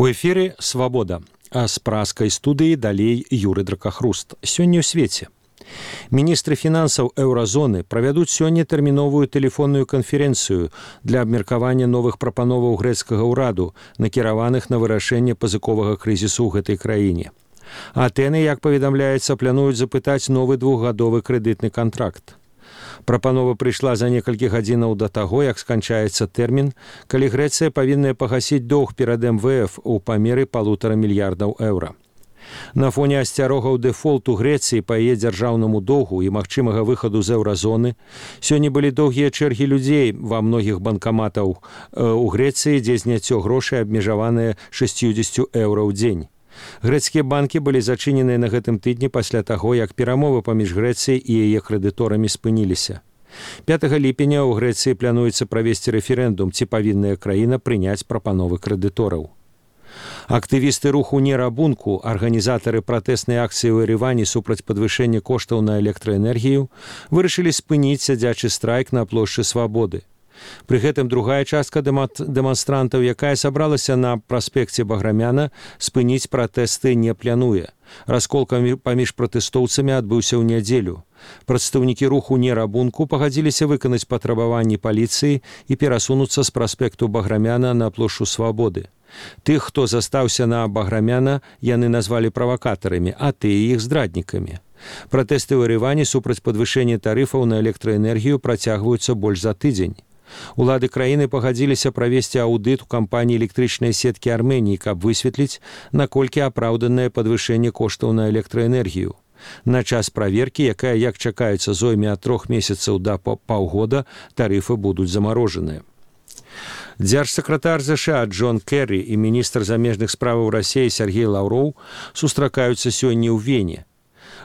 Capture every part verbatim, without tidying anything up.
У эфіры свабода, а з праскай студыі далей Юры Дракахруст. Сёння ў свеце. Міністры фінансаў еўразоны правядуць сёння тэрміновую тэлефонную канферэнцыю для абмеркавання новых прапановаў грэцкага ўраду, накіраваных на вырашэнне пазыковага крызісу ў гэтай краіне. Атэны, як паведамляецца, плануюць запытаць новы двухгадовы крэдытны кантракт. Прапанова прыйшла за некалькі гадзінаў да таго, як сканчаецца тэрмін, калі Грэцыя павінная пагасіць доўг перад эм вэ эф у памеры палутара мільярдаў еўра. На фоне асцярогаў дэфолту Грэцыі па яе дзяржаўнаму доўгу і магчымага выхаду з еўразоны, сёння былі доўгія чэргі людзей ва многіх банкаматаў у Грэцыі, дзе зняццё грошай абмежаванае шэсцьдзесят еўра ў дзень. Грэцкія банкі былі зачыненыя на гэтым тыдні пасля таго, як перамовы паміж Грэцыяй і яе крэдыторамі спыніліся. пятага ліпеня ў Грэцыі плануецца правесці рэферэндум, ці павінная краіна прыняць прапановы крэдытораў. Актывісты руху нерабунку, арганізатары пратэснай акцыі ў Еревані супраць падвышэння коштаў на электраэнергію, вырашылі спыніць сядзячы страйк на плошчы Свабоды. Пры гэтым другая частка дэманстрантаў, якая сабралася на праспекце Баграмяна, спыніць пратэсты не плануе. Расколка паміж пратэстоўцамі адбыўся ў нядзелю. Прадстаўнікі руху нерабунку пагадзіліся выканаць патрабаванні паліцыі і перасунуцца з праспекту Баграмяна на плошчу Свабоды. Тых, хто застаўся на Баграмяна, яны назвалі правакатарамі, а тыя іх здраднікамі. Пратэсты ў Еревані супраць падвышэння тарыфаў на электраэнергію працягваюцца больш за тыдзень. Улады краіны пагадзіліся правесці аўдыт у кампаніі электрычнай сеткі Арменіі, каб высветліць, наколькі апраўданае падвышэнне коштаў на электраэнергію. На час праверкі, якая, як чакаецца, зойме ад трох месяцаў да паўгода, тарыфы будуць замарожаныя. Дзяржсакратар ЗША Джон Керрі і міністр замежных справаў Расіі Сергей Лаўроў сустракаюцца сёння ў Вене.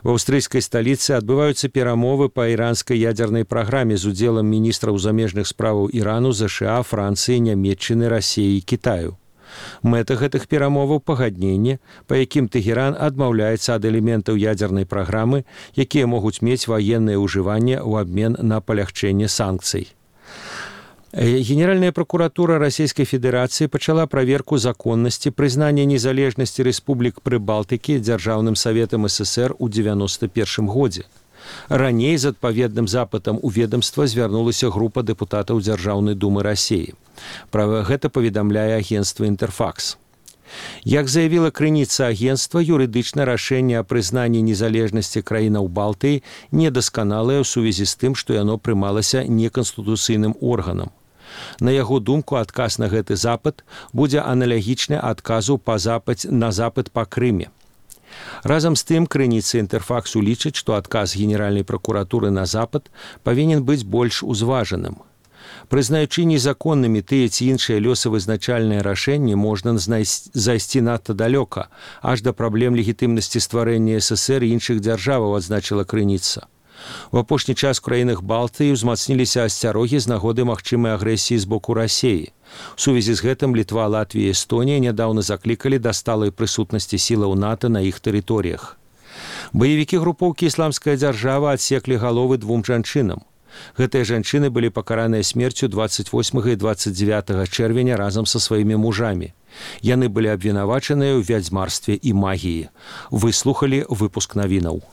В аўстрыйскай сталіцы адбываюцца перамовы па іранскай ядзернай праграме з удзелам міністраў замежных справаў Ірану, ЗША, Францыі, Нямецчыны, Расіі і Кітаю. Мэта гэтых перамоваў пагадненне, па якім Тэгеран адмаўляецца ад элементаў ядзернай праграмы, якія могуць мець ваеннае ўжыванне ў абмен на палягчэнне санкцый. Генеральная прокуратура Расійскай Федэрацыі пачала праверку законнасці прызнання незалежнасці рэспублік Прыбалтыкі дзяржаўным саветам ССР у дзевяноста першым годзе. Раней з адпаведным запытам у ведамства звярнулася група дэпутатаў Дзяржаўнай думы Расіі. Пра гэта паведамляе агенцтва «Інтэрфакс». Як заявіла крыніца агенцтва, юрыдычна рашэнне о прызнанні незалежнасці краінаў Балтыі недасканалае ў сувязі з тым, што яно прымалася неканстытуцыйным органам. На яго думку, адказ на гэты запыт будзе аналагічны адказу па запыт, на запыт па Крыме. Разам з тым, крыніца «Інтэрфаксу» лічыць, што адказ Генеральнай прокуратуры на запыт павінен быць больш узважаным. Прызнаючы незаконнымі тыя ці іншыя лёсавызначальныя рашэнні, можна зайсці надта далёка, аж да праблем легітымнасці стварэння ССР і іншых дзяржаваў, адзначыла крыніца. У апошні час у краінах Балтыі ўзмацніліся асцярогі з нагоды магчымай агрэсіі з боку Расіі. У сувязі з гэтым Літва, Латвія і Эстонія нядаўна заклікалі да сталай прысутнасці сілаў НАТО на іх тэрыторыях. Баевікі групоўкі «Ісламская дзяржава» адсеклі галовы двум жанчынам. Гэтыя жанчыны былі пакараныя смерцю дваццаць восьмага і дваццаць дзявятага чэрвеня разам са сваімі мужамі. Яны былі абвінавачаныя ў вядзьмарстве і магіі. Выслухалі выпуск навінаў.